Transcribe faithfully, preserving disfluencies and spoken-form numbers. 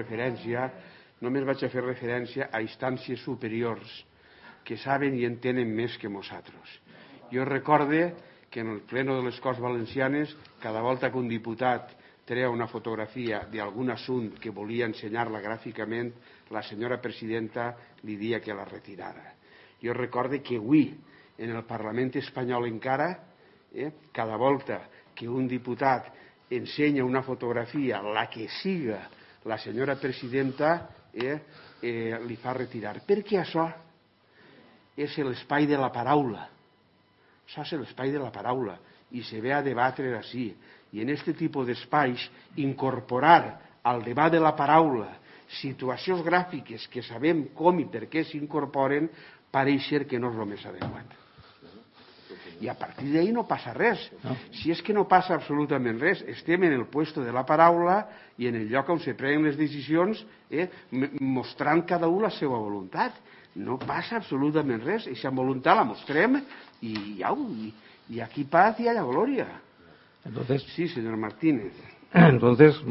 referència, només vaig a fer referència a instàncies superiors que saben i entenen més que nosaltres. Jo recorde que en el pleno de les Corts Valencianes, cada volta que un diputat treia una fotografia d'algun assumpte que volia ensenyar-la gràficament, la senyora presidenta li dia que la retirara. Jo recorde que avui, en el Parlament espanyol encara, eh, cada volta que un diputat ensenya una fotografia, la que siga, la senyora presidenta eh, eh, li fa retirar. Perquè això és l'espai de la paraula. Això és l'espai de la paraula i se ve a debatre així. I en aquest tipus d'espais incorporar al debat de la paraula situacions gràfiques que sabem com i per què s'incorporen pareix ser que no és el més adequat. I a partir d'ahí no passa res. No. Si és que no passa absolutament res, estem en el puesto de la paraula i en el lloc on se prenen les decisions eh, mostrant cada un la seva voluntat. No passa absolutament res. Aquesta voluntat la mostrem i, au, i, y aquí paz y allá gloria. Entonces, sí, señor Martínez. Entonces,